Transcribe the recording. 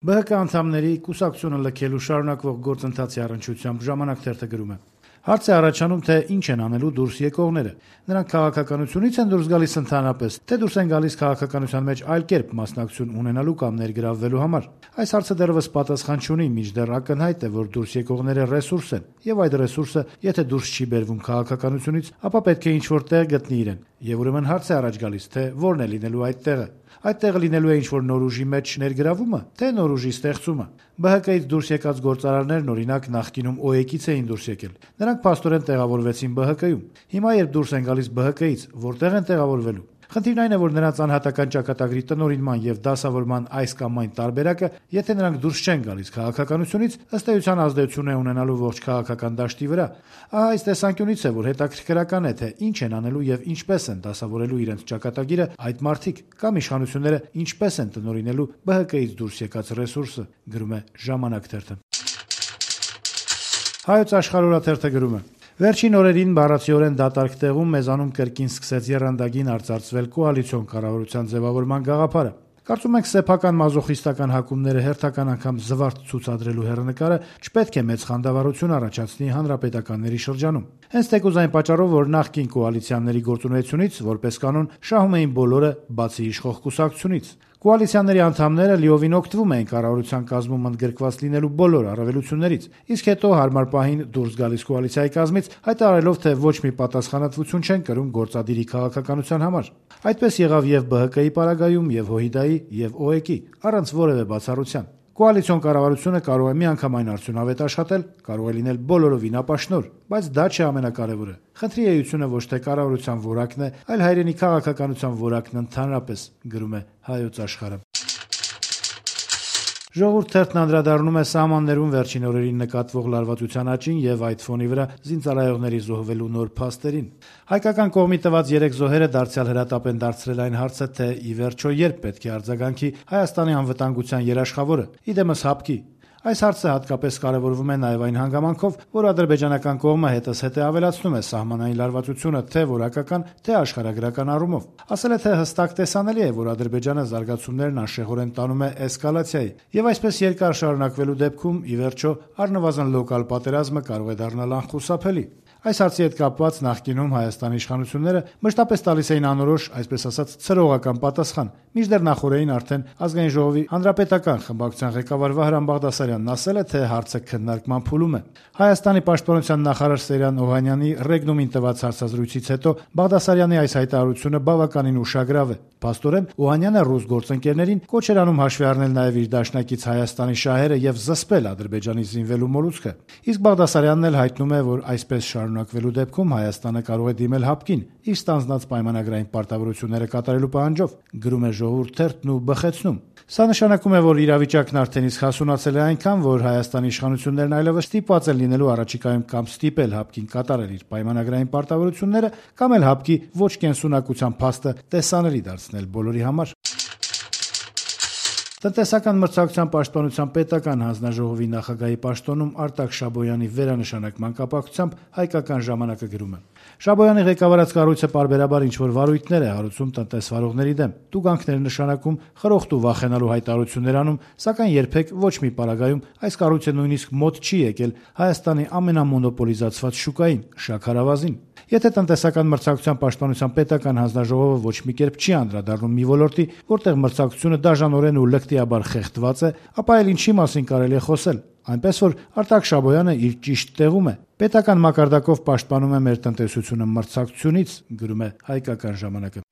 ԲՀԿ անդամների կուսակցությունը լքելու շարունակվող գործընթացի առնչությամբ «Ժամանակ» թերթը գրում է. հարց է առաջանում, թե ինչ են անելու դուրս եկողները: Նրանք քաղաքականությունից են դուրս գալիս ընդհանրապես, թե դուրս են գալիս քաղաքականության մեջ այլ կերպ մասնակցություն ունենալու կամ ներգրավվելու համար: Այս հարցը դեռևս պատասխան չունի, մինչդեռ ակնհայտ է, որ դուրս եկողները ռեսուրս են, եւ այդ ռեսուրսը եթե դուրս չի բերվում քաղաքականությունից, ապա պետք է ինչ-որ տեղ գտնի իրեն: Եվ ուրեմն հարց է առաջ գալիս, թե որն է լինելու այդ տեղը: Այդ տեղը լինելու է ինչ-որ նոր ուժի մեջ ներգրավումը, թե նոր ուժի ստեղծումը: ԲՀԿ-ից դուրս եկած գործարարներն, օրինակ, նախկինում ՕԵԿ-ից էին դուրս եկել: Նրանք փաստորեն տեղավորվեցին ԲՀԿ-ում: Հիմա, երբ դուրս են գալիս ԲՀԿ-ից, որտեղ են տեղավորվելու: Խնդիրն այն է, որ նրանց անհատական ճակատագրի տնօրինման եւ դասավորման այս կամ այն տարբերակը, եթե նրանք դուրս չեն գալիս քաղաքականությունից, ըստ էության ազդեցություն է ունենալու ողջ քաղաքական դաշտի վրա: Ահա այս տեսանկյունից է, որ հետաքրքրական է, թե ինչ են անելու եւ ինչպես են դասավորելու իրենց ճակատագիրը այդ մարդիկ, կամ իշխանությունները ինչպես են տնօրինելու ԲՀԿ-ից դուրս եկած ռեսուրսը: Գրում է «Ժամանակ» թերթը: «Հայոց Աշխարհ» օրաթերթը գրում է. Վերջին օրերին բառացիորեն դատարկ տեղում մեզանում կրկին սկսեց եռանդագին արծարծվել կոալիցիոն կառավարության ձևավորման գաղափարը: Կարծում ենք սեփական մազոխիստական հակումները հերթական անգամ զվարթ ցուցադրելու հեռանկարը չպետք է մեծ խանդավառություն առաջացնի հանրապետականների շրջանում: Հենց թեկուզ այն պատճառով, որ նախկին կոալիցիաների գործունեությունից, որպես կանոն, շահում էին բոլորը, բացի իշխող կուսակցությունից: Կոալիցիաների անդամները լիովին օգտվում էին կառավարության կազմում ընդգրկված լինելու բոլոր առավելություններից, իսկ հետո հարմար պահին դուրս գալիս կոալիցիայի կազմից, հայտարարելով, թե ոչ մի պատասխանատվություն չեն կրում գործադիրի քաղաքականության համար: Այդպես եղավ եւ ԲՀԿ-ի պարագայում, եւ ՀՅԴ-ի, եւ ՕԵԿ-ի, առանց որեւէ բացառության: Կոալիցիոն կառավարությունը կարող է միանգամայն արդյունավետ աշխատել, կարող է լինել բոլորովին ապաշնորհ, բայց դա չէ ամենակարևորը: Խնդրի էությունը ոչ թե կառավարության որակն է, այլ հայրենի քաղաքականության որակն ընդհանրապես: Գրում է «Հայոց Աշխարհ»-ը: «Ժողովուրդ» թերթն անդրադառնում է սահմաններում վերջին օրերին նկատվող լարվածության աճին եւ այդ ֆոնի վրա զինծառայողների զոհվելու նոր փաստերին: Հայկական կողմի տված 3 զոհերը դարձյալ հրատապ են դարձրել այն հարցը, թե ի վերջո երբ պետք է արձագանքի Հայաստանի անվտանգության երաշխավորը, իդեմս ՀԱՊԿ-ի: Այս հարցը հատկապես կարեւորվում է նաեւ այն հանգամանքով, որ ադրբեջանական կողմը հետզհետե ավելացնում է սահմանային լարվածությունը թե որակական, թե աշխարհագրական առումով: Ասել է, թե հստակ տեսանելի է, որ Ադրբեջանը զարգացումներն անշեղորեն տանում է էսկալացիայի, եւ այսպես երկար շարունակվելու դեպքում, ի վերջո, առնվազն լոկալ պատերազմը կարող է դառնալ անխուսափելի: Այս հարցի հետ կապված նախկինում Հայաստանի իշխանությունները մշտապես տալիս էին անորոշ, այսպես ասած, ցրողական պատասխան, մինչդեռ նախօրեին արդեն Ազգային ժողովի հանրապետական խմբակցության ղեկավար Վահրամ Բաղդասարյանն ասել է, թե հարցը քննարկման փուլում է: Հայաստանի պաշտպանության նախարար Սեյրան Օհանյանի Ռեգնումին տված հարցազրույցից հետո Բաղդասարյանի այս հայտարարությունը բավականին ուշագրավ է: Փաստորեն, Օհանյանը ռուս գործընկերներին կոչ էր անում հաշվի առնել նաեւ իր դաշնակից Հայաստանի շահերը եւ զսպել Ադրբեջանի զինվելու մոլուցքը: Իսկ Բաղդասարյանն էլ հայտնում է, որ այսպես շարունակվելու դեպքում Հայաստանը կարող է դիմել ՀԱՊԿ-ին իր ստանձնած պայմանագրային պարտավորությունները կատարելու պահանջով: Գրում է «Ժողովուրդ» թերթն ու բխեցնում. Սա նշանակում է, որ իրավիճակն արդեն իսկ հասունացել է այնքան, որ Հայաստանի իշխանություններն այլեւս ստիպված են լինելու առաջիկայում կամ ստիպել ՀԱՊԿ-ին կատարել իր պայմանագրային պարտավորությունները, կամ էլ ՀԱՊԿ-ի ոչ կենսունակության փաստը տեսանելի դարձնել բոլորի համար: Տնտեսական մրցակցության պաշտպանության պետական հանձնաժողովի նախագահի պաշտոնում Արտակ Շաբոյանի վերանշանակման կապակցությամբ «Հայկական ժամանակ»-ը գրում է. Շաբոյանի ղեկավարած կառույցը պարբերաբար ինչ-որ վարույթներ է հարուցում տնտեսվարողների դեմ, տուգանքներ նշանակում, խրոխտ ու վախենալու հայտարարություններ անում, սակայն երբեք ոչ մի պարագայում այս կառույցը նույնիսկ մոտ չի եկել Հայաստանի ամենամոնոպոլիզացված շուկային՝ շաքարավազին: Եթե տնտեսական մրցակցության պաշտպանության պետական հանձնաժողովը ոչ մի կերպ չի անդրադառնում մի ոլորտի, որտեղ մրցակցությունը դաժանորեն ու լկտիաբար խեղդված է, ապա այլ ինչի մասին կարելի է խոսել: Այնպես որ Արտակ Շաբոյանը իր ճիշտ տեղում է: Պետական մակարդակով պաշտպանում է մեր տնտեսությունը մրցակցությունից: Գրում է «Հայկական ժամանակ»-ը: